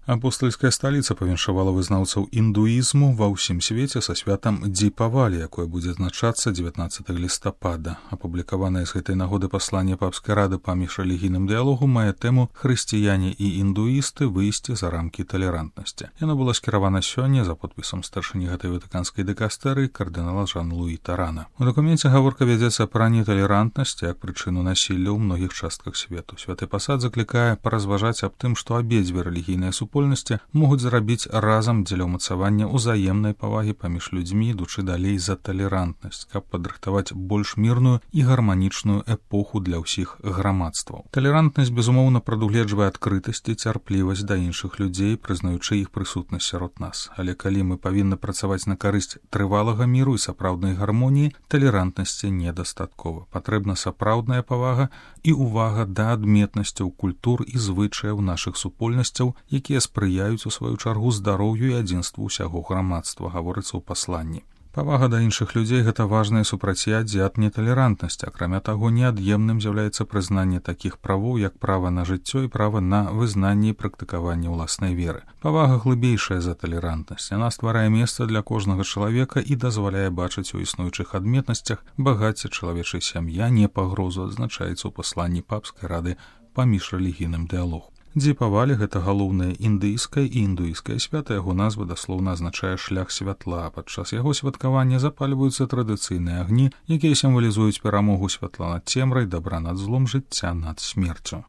Апостальская сталіца павіншавала вызнаўцаў індуізму ва ўсім свеце са святам Дипавалі, якое будзе адзначацца 19 лістапада. Апублікаванае з гэтай нагоды пасланне папскай рады па міжрэлігійным дыялогу мае тэму «Хрысціяне і індуісты выйсці за рамкі талерантнасці». Яно было скіравана сёння за подпісам старшыні гэтай ватыканскай дыкастэрыі кардынала Жан-Луі Тарана. У дакуменце гаворка вядзецца пра неталерантнасць як прычыну насілля ў многіх частках свету. Святы пасад заклікае паразважаць аб тым, што абедзве рэлігійныя могуць зрабіць разам дзеля ўмацавання ўзаемнай павагі паміж людзьмі, ідучы далей за талерантнасць, каб падрыхтаваць больш мірную і гарманічную эпоху для ўсіх грамадстваў. Талерантнасць, безумоўна, прадугледжвае адкрытасць і цярплівасць да іншых людзей, прызнаючы іх прысутнасць сярод нас. Але калі мы павінны працаваць на карысць трывалага міру і сапраўднай гармоніі, талерантнасці недастаткова. Патрэбна сапраўдная павага і ўвага да адметнасцяў культур і звычаяў нашых супольнасцяў, якія спрыяюць у сваю чаргу здароўю і адзінству ўсяго грамадства, гаворыцца ў пасланні. Павага да іншых людзей – гэта важнае супрацьяддзе ад неталерантнасці. Акрамя таго, неад'емным з'яўляецца прызнанне такіх правоў, як права на жыццё і права на вызнанне і практыкаванне ўласнай веры. Павага глыбейшая за талерантнасць. Яна стварае месца для кожнага чалавека і дазваляе бачыць у існуючых адметнасцях багацце чалавечай сям'я, не пагрозу, адзначаецца ў пасланні папскай рады па міжрэлігійным дыялогу. Дипавалі – гэта галоўнае індыйскае і індуійскае свята, яго назва даслоўна азначае шлях святла. Падчас яго святкавання запальваюцца традыцыйныя агні, якія сімвалізуюць перамогу святла над цемрай, дабра над злом, жыцця над смерцю.